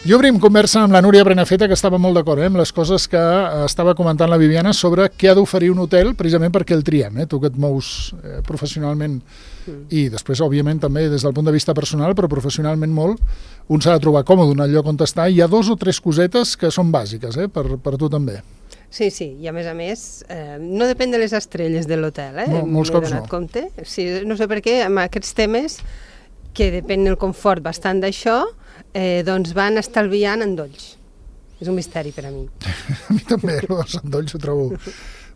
I obrim conversa amb la Núria Prenafeta, que estava molt d'acord amb les coses que estava comentant la Viviana sobre què ha d'oferir un hotel, precisament perquè el triem. Tu que et mous professionalment i després, òbviament, també des del punt de vista personal, però professionalment molt, un s'ha de trobar còmode en el lloc on està. Hi ha 2 o 3 cosetes que són bàsiques, per tu també. Sí, i a més, no depèn de les estrelles de l'hotel, Molts cops no. Compte. Sí, no sé per què, amb aquests temes, que depèn del confort bastant d'això, doncs van estalviant endolls. És un misteri per a mi. A mi també, els endolls ho trobo.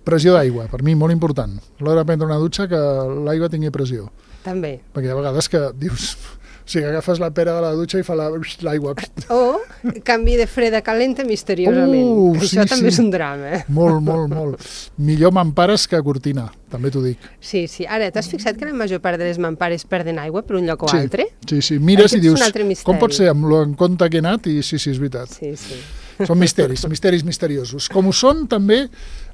Pressió d'aigua, per mi molt important. A l'hora de prendre una dutxa que l'aigua tingui pressió. També. Perquè hi ha vegades que dius... O sigui, agafes la pera de la dutxa i fa l'aigua. O canvi de fred a calenta misteriosament. Això també és un drama. Molt. Millor mampares que cortina, també t'ho dic. Sí. Ara, t'has fixat que la major part de les mampares perden aigua per un lloc o altre? Sí. Mires i dius, com pot ser amb en compte que he anat? I sí, és veritat. Sí. Són misteris misteriosos. Com ho són també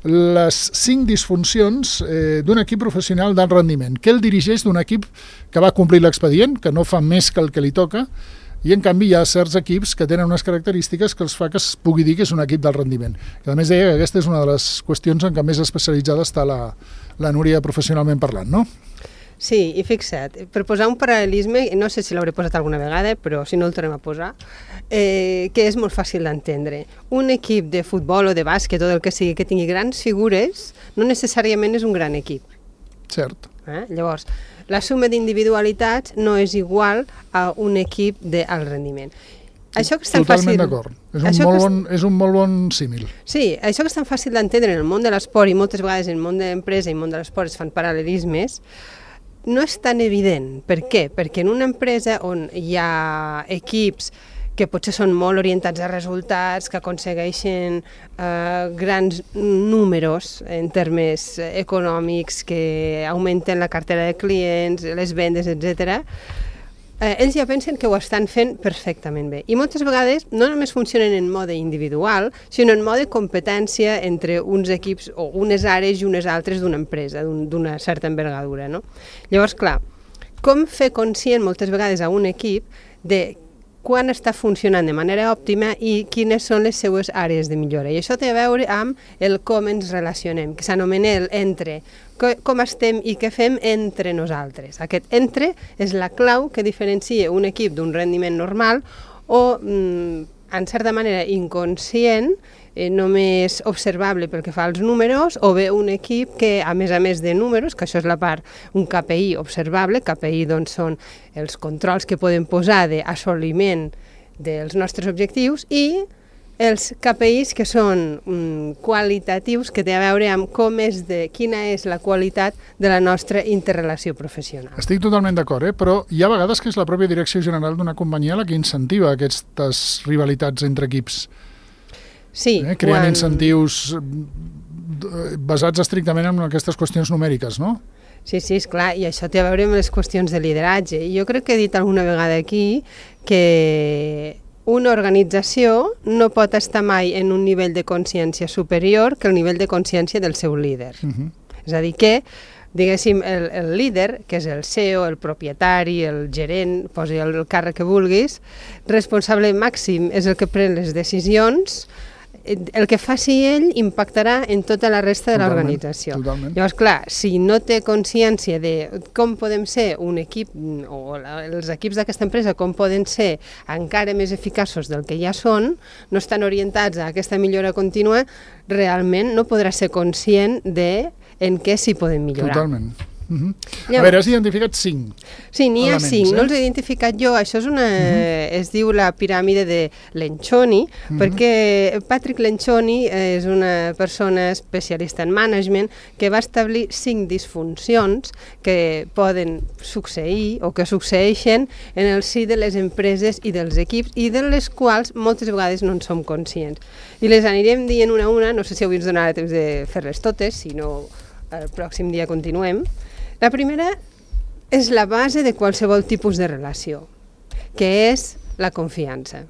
les 5 disfuncions d'un equip professional d'alt rendiment, que el dirigeix d'un equip que va complir l'expedient, que no fa més que el que li toca, i en canvi hi ha certs equips que tenen unes característiques que els fa que es pugui dir que és un equip d'alt rendiment. Que a més deia que aquesta és una de les qüestions en què més especialitzada està la Núria professionalment parlant, no? Sí, i fixa't, per posar un paral·lelisme, no sé si l'hauré posat alguna vegada, però si no el tornem a posar, que és molt fàcil d'entendre. Un equip de futbol o de bàsquet o del que sigui que tingui grans figures, no necessàriament és un gran equip. Cert. Llavors, la suma d'individualitats no és igual a un equip d'alt rendiment. Això que és tan Totalment d'acord. És un molt bon símil. Sí, això que és tan fàcil d'entendre en el món de l'esport i moltes vegades en el món de l'empresa i el món de l'esport es fan paral·lelismes, no és tan evident. Per què? Perquè en una empresa on hi ha equips que potser són molt orientats a resultats, que aconsegueixen grans números en termes econòmics, que augmenten la cartera de clients, les vendes, etc., ells ja pensen que ho estan fent perfectament bé. I moltes vegades no només funcionen en mode individual, sinó en mode competència entre uns equips o unes àrees i unes altres d'una empresa, d'una certa envergadura, no? Llavors, clar, com fer conscient moltes vegades a un equip de quan està funcionant de manera òptima i quines són les seues àrees de millora. I això té a veure amb el com ens relacionem, que s'anomena el entre, com estem i què fem entre nosaltres. Aquest entre és la clau que diferencia un equip d'un rendiment normal o, en certa manera, inconscient, només observable pel que fa als números, o bé un equip que, a més de números, que això és la part, un KPI observable, KPI doncs són els controls que podem posar d'assoliment dels nostres objectius, i els KPIs que són qualitatius, que té a veure amb quina és la qualitat de la nostra interrelació professional. Estic totalment d'acord, però hi ha vegades que és la pròpia direcció general d'una companyia la que incentiva aquestes rivalitats entre equips. Sí. Creant incentius basats estrictament en aquestes qüestions numèriques, no? Sí, esclar, i això té a veure amb les qüestions de lideratge. I jo crec que he dit alguna vegada aquí que una organització no pot estar mai en un nivell de consciència superior que el nivell de consciència del seu líder. És a dir, que, diguéssim, el líder, que és el CEO, el propietari, el gerent, posi el càrrec que vulguis, responsable màxim és el que pren les decisions, el que faci ell impactarà en tota la resta de l'organització. Llavors, clar, si no té consciència de com podem ser un equip, o els equips d'aquesta empresa, com poden ser encara més eficaços del que ja són, no estan orientats a aquesta millora contínua, realment no podrà ser conscient de en què s'hi poden millorar. Totalment. A veure, has identificat 5. Sí, n'hi ha 5, no els he identificat jo. Això és es diu la piràmide de Lencioni, perquè Patrick Lencioni és una persona especialista en management que va establir 5 disfuncions que poden succeir o que succeeixen en el si de les empreses i dels equips i de les quals moltes vegades no en som conscients. I les anirem dient una a una, no sé si avui ens donarà temps de fer-les totes, si no el pròxim dia continuem. La primera és la base de qualsevol tipus de relació, que és la confiança.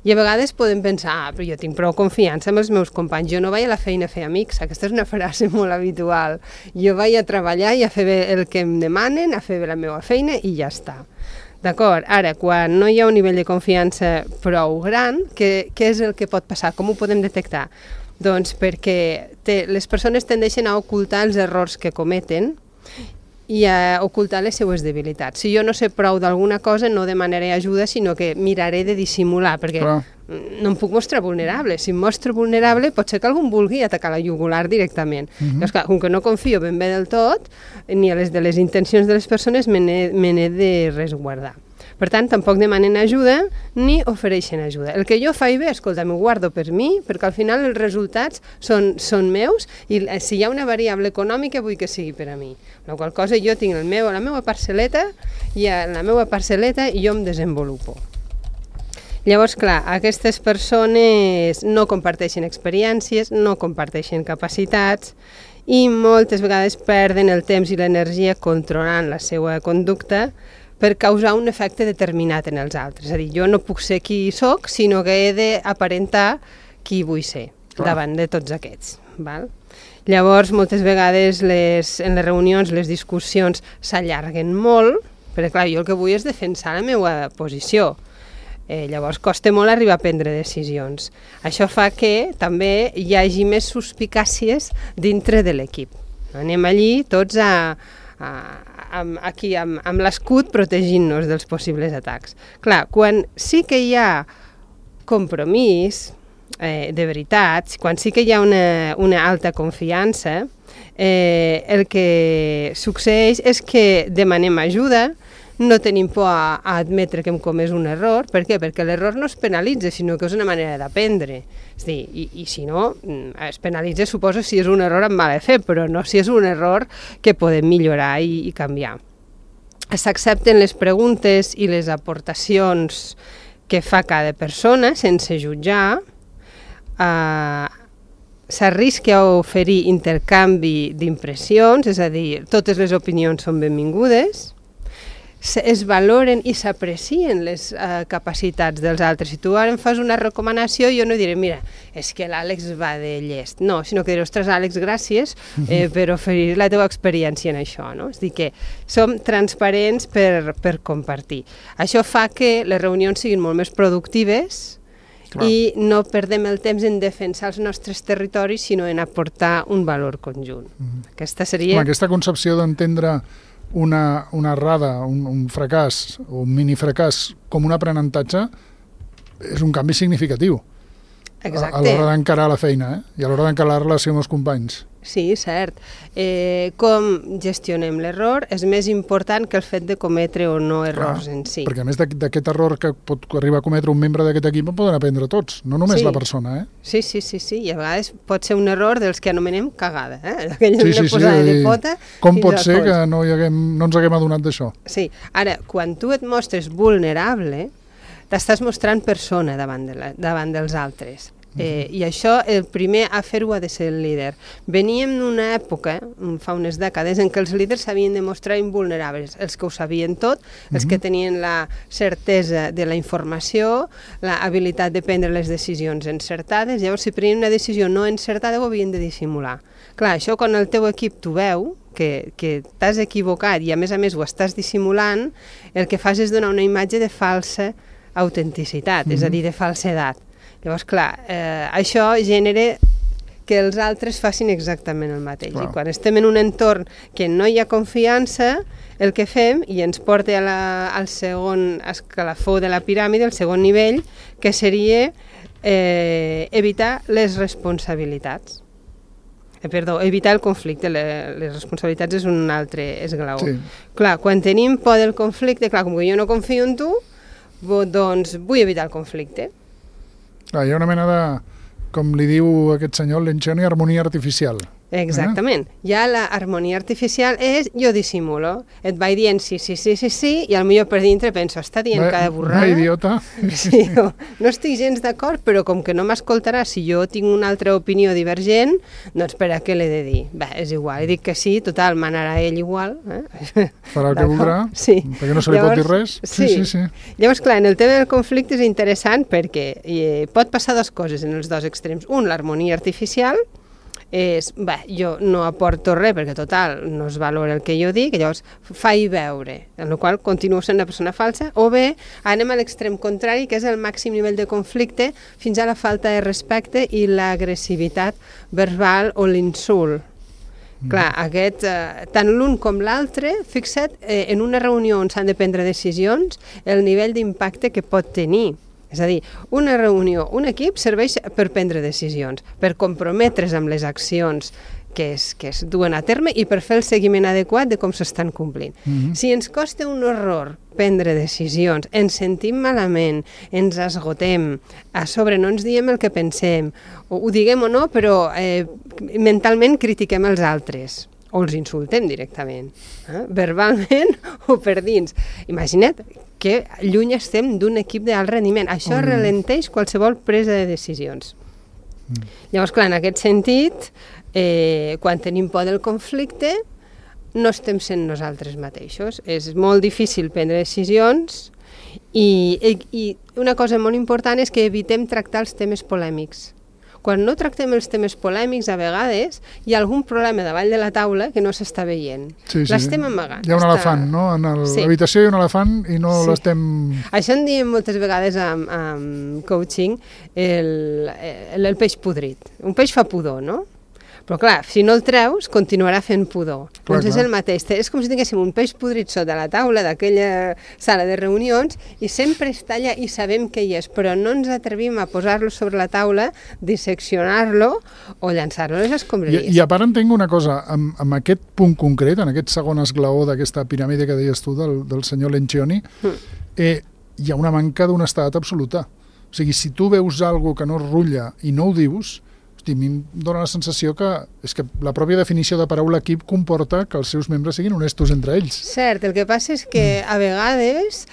I a vegades podem pensar, però jo tinc prou confiança amb els meus companys, jo no vaig a la feina a fer amics, aquesta és una frase molt habitual, jo vaig a treballar i a fer bé el que em demanen, a fer bé la meva feina i ja està. D'acord, ara, quan no hi ha un nivell de confiança prou gran, què és el que pot passar? Com ho podem detectar? Doncs perquè les persones tendeixen a ocultar els errors que cometen i a ocultar les seues debilitats. Si jo no sé prou d'alguna cosa, no demanaré ajuda, sinó que miraré de dissimular, perquè no em puc mostrar vulnerable. Si em mostro vulnerable, pot ser que algú em vulgui atacar la jugular directament. Llavors, clar, com que no confio ben bé del tot, ni a les de les intencions de les persones, me n'he de resguardar. Per tant, tampoc demanen ajuda ni ofereixen ajuda. El que jo faig bé, escolta, m'ho guardo per mi, perquè al final els resultats són meus i si hi ha una variable econòmica vull que sigui per a mi. La qual cosa jo tinc la meva parcel·leta i en la meva parcel·leta jo em desenvolupo. Llavors, clar, aquestes persones no comparteixen experiències, no comparteixen capacitats i moltes vegades perden el temps i l'energia controlant la seva conducta per causar un efecte determinat en els altres. És a dir, jo no puc ser qui soc, sinó que he d'aparentar qui vull ser davant de tots aquests. Val? Llavors, moltes vegades en les reunions, les discussions s'allarguen molt, perquè clar, jo el que vull és defensar la meva posició. Llavors costa molt arribar a prendre decisions. Això fa que també hi hagi més suspicàcies dintre de l'equip. Anem allí tots amb l'escut protegint-nos dels possibles atacs. Clar, quan sí que hi ha compromís de veritat, quan sí que hi ha una alta confiança, el que succeeix és que demanem ajuda, no tenim por a admetre que hem comès un error. Per què? Perquè l'error no es penalitza, sinó que és una manera d'aprendre. És a dir, i si no, es penalitza, suposo, si és un error amb mala fe, però no si és un error que podem millorar i canviar. S'accepten les preguntes i les aportacions que fa cada persona sense jutjar. S'arrisca a oferir intercanvi d'impressions, és a dir, totes les opinions són benvingudes. Es valoren i s'aprecien les capacitats dels altres. Si tu ara em fas una recomanació, jo no diré, mira, és que l'Àlex va de llest. No, sinó que diré, ostres, Àlex, gràcies per oferir la teva experiència en això. No? És a dir, que som transparents per compartir. Això fa que les reunions siguin molt més productives i no perdem el temps en defensar els nostres territoris, sinó en aportar un valor conjunt. Aquesta seria... Aquesta concepció d'entendre una errada, un fracàs o un mini-fracàs com un aprenentatge és un canvi significatiu. Exacte. A l'hora d'encarar la feina i a l'hora d'encarar la relació amb els companys. Sí, cert. Com gestionem l'error és més important que el fet de cometre o no errors en si. Perquè a més d'aquest error que pot arribar a cometre un membre d'aquest equip en poden aprendre tots, no només la persona. Sí, i a vegades pot ser un error dels que anomenem cagada. Aquella posada de pota. Com pot ser que no ens haguem adonat d'això? Sí, ara, quan tu et mostres vulnerable, t'estàs mostrant persona davant dels altres. I això, el primer a fer-ho ha de ser el líder. Veníem d'una època, fa unes dècades, en què els líders s'havien de mostrar invulnerables, els que ho sabien tot, els que tenien la certesa de la informació, l'habilitat de prendre les decisions encertades. Llavors, si prenien una decisió no encertada, ho havien de dissimular. Clar, això quan el teu equip t'ho veu, que t'has equivocat i a més ho estàs dissimulant, el que fas és donar una imatge de falsa autenticitat, és a dir, de falsedat. Llavors, clar, això genera que els altres facin exactament el mateix. I quan estem en un entorn que no hi ha confiança, el que fem, i ens porta al segon escalafó de la piràmide, el segon nivell, que seria evitar les responsabilitats. Evitar el conflicte. Les responsabilitats és un altre esglaó. Clar, quan tenim por del conflicte, clar, com que jo no confio en tu, doncs vull evitar el conflicte. Hi ha una mena de, com li diu aquest senyor, l'enxeno i harmonia artificial. Exactament. Ja l'harmonia artificial és jo dissimulo. Et vaig dient sí, i potser per dintre penso, està dient cada borrada. Una idiota. Sí, no estic gens d'acord, però com que no m'escoltarà, si jo tinc una altra opinió divergent, doncs per a què l'he de dir? Bé, és igual, dic que sí, total, manarà ell igual. Farà el que voldrà, perquè no se li pot dir res. Sí. Llavors, clar, en el tema del conflicte és interessant perquè pot passar dues coses en els dos extrems. Un, l'harmonia artificial, és, jo no aporto res perquè total no es valora el que jo dic, llavors faig veure, en la qual continuo sent una persona falsa, o bé anem a l'extrem contrari, que és el màxim nivell de conflicte fins a la falta de respecte i l'agressivitat verbal o l'insult. Clar, tant l'un com l'altre, fixa't, en una reunió on s'han de prendre decisions, el nivell d'impacte que pot tenir. És a dir, una reunió, un equip serveix per prendre decisions, per comprometre's amb les accions que es duen a terme i per fer el seguiment adequat de com s'estan complint. Si ens costa un horror prendre decisions, ens sentim malament, ens esgotem, a sobre no ens diem el que pensem, ho diguem o no, però mentalment critiquem els altres, o els insultem directament, verbalment o per dins. Imagina't que lluny estem d'un equip d'alt rendiment. Això ralenteix qualsevol presa de decisions. Llavors, clar, en aquest sentit, quan tenim por del conflicte, no estem sent nosaltres mateixos. És molt difícil prendre decisions i una cosa molt important és que evitem tractar els temes polèmics. Quan no tractem els temes polèmics, a vegades hi ha algun problema davall de la taula que no s'està veient. L'estem amagant. Hi ha un elefant, no? En l'habitació hi ha un elefant i no l'estem... Això en diem moltes vegades amb coaching el peix podrit. Un peix fa pudor, no? Però clar, si no el treus, continuarà fent pudor. Doncs és el mateix. És com si tinguéssim un peix podrit sota la taula d'aquella sala de reunions i sempre està allà i sabem que hi és, però no ens atrevim a posar-lo sobre la taula, disseccionar-lo o llançar-lo a les escombraries. I a part entenc una cosa, amb aquest punt concret, en aquest segon esglaó d'aquesta piràmide que deies tu del senyor Lencioni, hi ha una manca d'honestedat absoluta. O sigui, si tu veus alguna que no es rutlla i no ho dius, a mi em dóna la sensació que és que la pròpia definició de paraula equip comporta que els seus membres siguin honestos entre ells. Cert, el que passa és que a vegades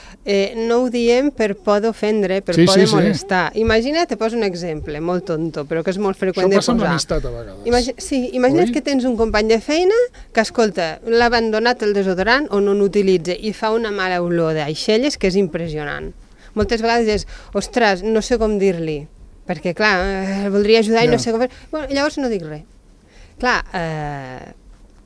no ho diem per por d'ofendre, per por de molestar. Imagina't, te poso un exemple molt tonto, però que és molt freqüent de posar. Això passa amb l'amistat a vegades. Imagina't que tens un company de feina que, escolta, l'ha abandonat el desodorant o no l'utilitza i fa una mala olor d'aixelles que és impressionant. Moltes vegades és, ostres, no sé com dir-li, perquè, clar, el voldria ajudar i no sé com fer. Bueno, llavors no dic res. Clar,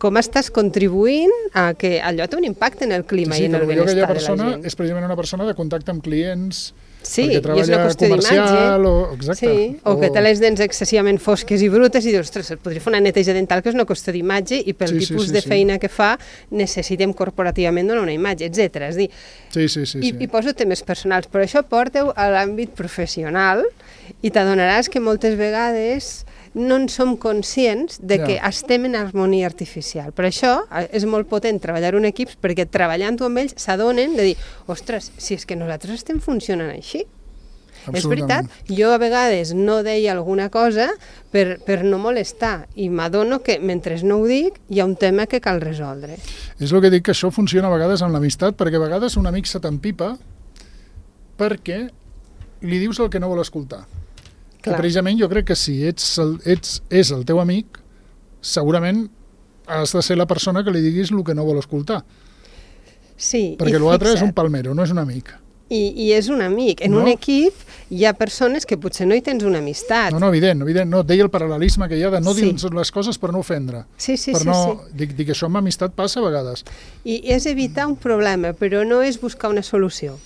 com estàs contribuint a que allò té un impacte en el clima i en el benestar de la gent. És precisament una persona de contacte amb clients, perquè treballa comercial, o que té les dents excessivament fosques i brutes i dius, ostres, et podria fer una neteja dental que és una qüestió d'imatge i pel tipus de feina que fa necessitem corporativament donar una imatge, etc. És dir, i poso temes personals, però això porta-ho a l'àmbit professional i t'adonaràs que moltes vegades no en som conscients de que estem en harmonia artificial. Per això és molt potent treballar en equips, perquè treballant-ho amb ells s'adonen de dir, ostres, si és que nosaltres estem funcionant així. És veritat, jo a vegades no deia alguna cosa per no molestar i m'adono que mentre no ho dic hi ha un tema que cal resoldre. És el que dic, que això funciona a vegades amb l'amistat, perquè a vegades un amic se t'empipa perquè li dius el que no vol escoltar. Que precisament jo crec que si és el teu amic, segurament has de ser la persona que li diguis el que no vol escoltar. Sí, perquè l'altre és un palmero, no és un amic. I és un amic. En un equip hi ha persones que potser no hi tens una amistat. No, evident. No, deia el paral·lelisme que hi ha de no dir les coses per no ofendre. Sí. Dic que això amb amistat passa a vegades. I és evitar un problema, però no és buscar una solució.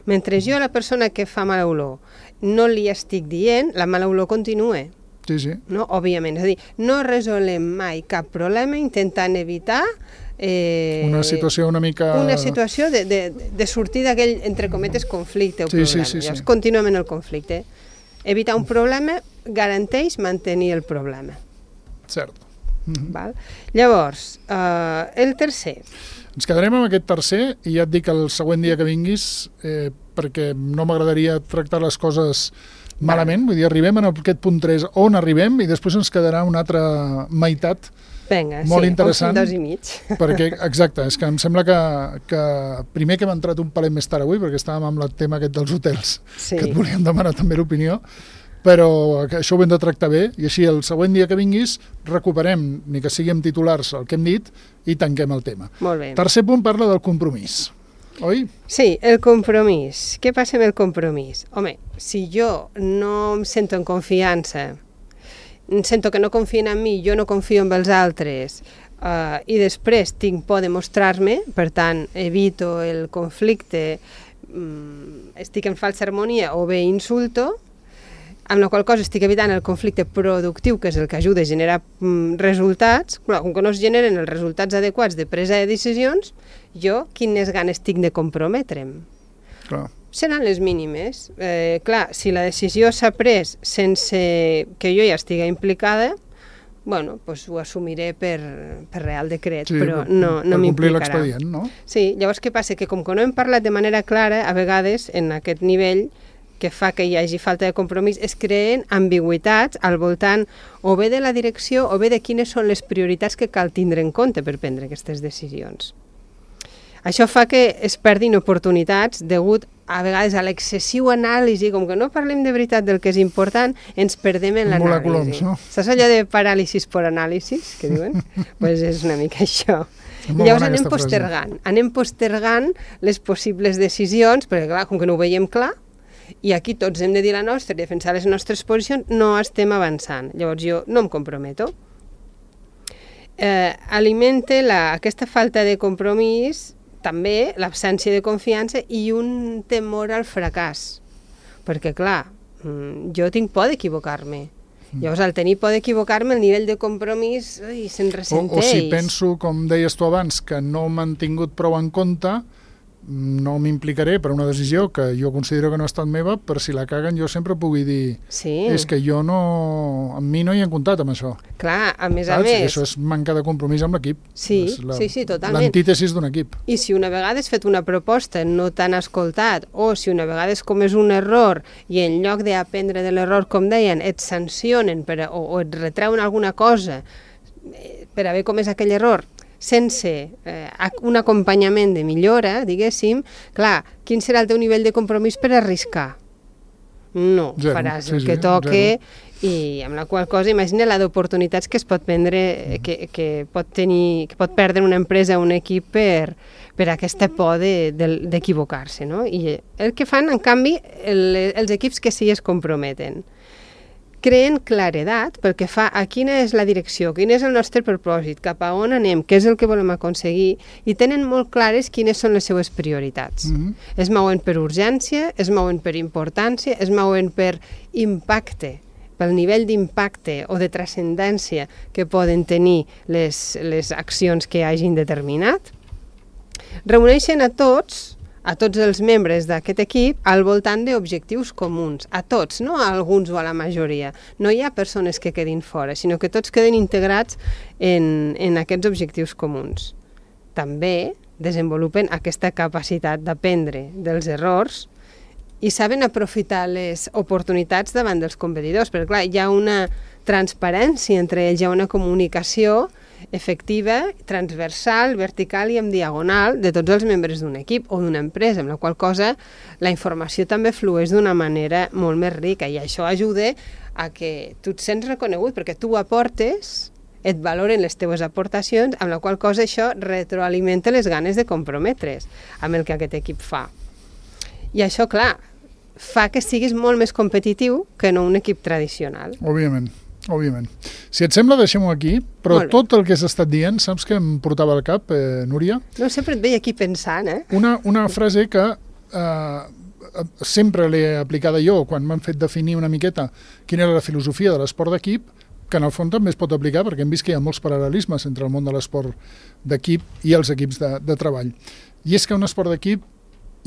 Mentre jo, la persona que fa mala olor, no li estic dient, la mala olor continua. Sí. No? Òbviament. És a dir, no resolem mai cap problema intentant evitar una situació una mica... Una situació de sortir d'aquell, entre cometes, conflicte o problema. Llavors, continuem en el conflicte. Evitar un problema garanteix mantenir el problema. Cert. Val? Llavors, el tercer. Ens quedarem amb aquest tercer i ja et dic el següent dia que vinguis perquè no m'agradaria tractar les coses malament. Vull dir, arribem en aquest punt 3 on arribem i després ens quedarà una altra meitat molt interessant. 2 i mig. Perquè, exacte, és que em sembla que primer que hem entrat un palet més tard avui perquè estàvem amb el tema aquest dels hotels, que et volíem demanar també l'opinió, però això ho hem de tractar bé i així el següent dia que vinguis recuperem, ni que sigui amb titulars, el que hem dit i tanquem el tema. Molt bé. Tercer punt parla del compromís, oi? Sí, el compromís. Què passa amb el compromís? Home, si jo no em sento en confiança sento que no confien en mi, jo no confio en els altres, i després tinc por de mostrar-me, per tant, evito el conflicte, estic en falsa harmonia o bé insulto, amb la qual cosa estic evitant el conflicte productiu, que és el que ajuda a generar resultats. Clar, com que no es generen els resultats adequats de presa de decisions, jo quines ganes tinc de comprometre'm? Clar. Seran les mínimes. Clar, si la decisió s'ha pres sense que jo ja estigui implicada, bueno, doncs ho assumiré per real decret, sí, però no m'implicarà. Per complir l'expedient, no? Sí, llavors què passa? Que com que no hem parlat de manera clara, a vegades, en aquest nivell, que fa que hi hagi falta de compromís, es creen ambigüitats al voltant o bé de la direcció o bé de quines són les prioritats que cal tindre en compte per prendre aquestes decisions. Això fa que es perdin oportunitats degut a vegades a l'excessiu anàlisi, com que no parlem de veritat del que és important, ens perdem en l'anàlisi. No? Saps allò de paràlisis per anàlisis, que diuen? Doncs és una mica això. I llavors anem postergant les possibles decisions, perquè clar, com que no ho veiem clar, i aquí tots hem de dir la nostra i defensar les nostres posicions, no estem avançant. Llavors jo no em comprometo. Alimenta aquesta falta de compromís també l'absència de confiança i un temor al fracàs. Perquè, clar, jo tinc por d'equivocar-me. Llavors, al tenir por d'equivocar-me, el nivell de compromís se'n ressenteix. O si penso, com deies tu abans, que no m'han tingut prou en compte, no m'implicaré per una decisió que jo considero que no ha estat meva, per si la caguen jo sempre pugui dir és que jo no... amb mi no hi han comptat amb això. Clar, a més a més... Això és manca de compromís amb l'equip. Sí, totalment. L'antítesis d'un equip. I si una vegada has fet una proposta no t'han escoltat, o si una vegada has comès un error i en lloc d'aprendre de l'error, com deien, et sancionen o et retreuen alguna cosa per haver comès aquell error, sense un acompanyament de millora, diguéssim, clar, quin serà el teu nivell de compromís per arriscar? No, faràs el que toque i amb la qual cosa imagina la d'oportunitats que es pot prendre, que pot perdre una empresa o un equip per aquesta por d'equivocar-se, no? I el que fan, en canvi, els equips que sí es comprometen, creen claredat pel que fa a quina és la direcció, quin és el nostre propòsit, cap a on anem, què és el que volem aconseguir, i tenen molt clares quines són les seues prioritats. Es mouen per urgència, es mouen per importància, es mouen per impacte, pel nivell d'impacte o de transcendència que poden tenir les accions que hagin determinat. Reuneixen a tots els membres d'aquest equip al voltant d'objectius comuns, a tots, no a alguns o a la majoria. No hi ha persones que quedin fora, sinó que tots queden integrats en aquests objectius comuns. També desenvolupen aquesta capacitat d'aprendre dels errors i saben aprofitar les oportunitats davant dels competidors, perquè clar, hi ha una transparència entre ells, hi ha una comunicació efectiva, transversal, vertical i en diagonal de tots els membres d'un equip o d'una empresa, amb la qual cosa la informació també flueix d'una manera molt més rica i això ajuda a que tu et sents reconegut perquè tu aportes, et valoren les teves aportacions, amb la qual cosa això retroalimenta les ganes de comprometre's amb el que aquest equip fa. I això, clar, fa que siguis molt més competitiu que no un equip tradicional. Òbviament. Si et sembla, deixem-ho aquí, però tot el que has estat dient, saps què em portava al cap, Núria? No, sempre et veia aquí pensant, Una frase que sempre l'he aplicada jo quan m'han fet definir una miqueta quina era la filosofia de l'esport d'equip, que en el fons també es pot aplicar perquè hem vist que hi ha molts paral·lelismes entre el món de l'esport d'equip i els equips de treball. I és que un esport d'equip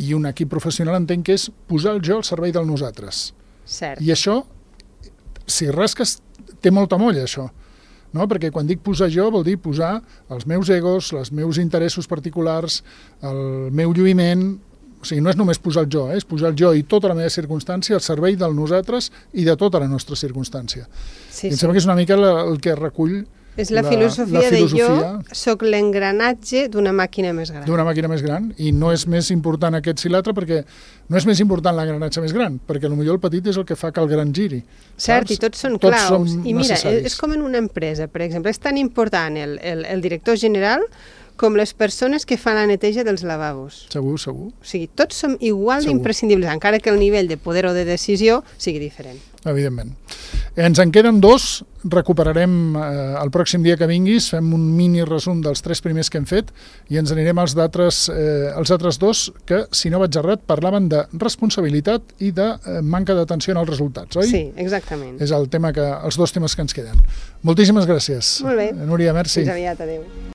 i un equip professional entenc que és posar el jo al servei del nosaltres. Cert. I això, si rasques, té molta molla, això. No? Perquè quan dic posar jo vol dir posar els meus egos, els meus interessos particulars, el meu lluïment. O sigui, no és només posar el jo, és posar el jo i tota la meva circumstància al servei del nosaltres i de tota la nostra circumstància. Sí, em sembla que és una mica el que recull és la filosofia de jo soc l'engranatge d'una màquina més gran. D'una màquina més gran, i no és més important aquest si l'altre, perquè no és més important l'engranatge més gran, perquè potser el petit és el que fa que el gran giri. Cert, i tots són claus. I mira, és com en una empresa, per exemple, és tan important el director general com les persones que fan la neteja dels lavabos. Segur, segur. O sigui, tots som igual Segur. d'imprescindibles, encara que el nivell de poder o de decisió sigui diferent. Evidentment. Ens en queden 2, recuperarem el pròxim dia que vinguis, fem un mini resum dels 3 primers que hem fet i ens anirem als altres 2 que, si no vaig errat, parlaven de responsabilitat i de manca d'atenció als resultats, oi? Sí, exactament. És el tema els 2 temes que ens queden. Moltíssimes gràcies. Molt bé. Núria, merci. Fins aviat, adéu.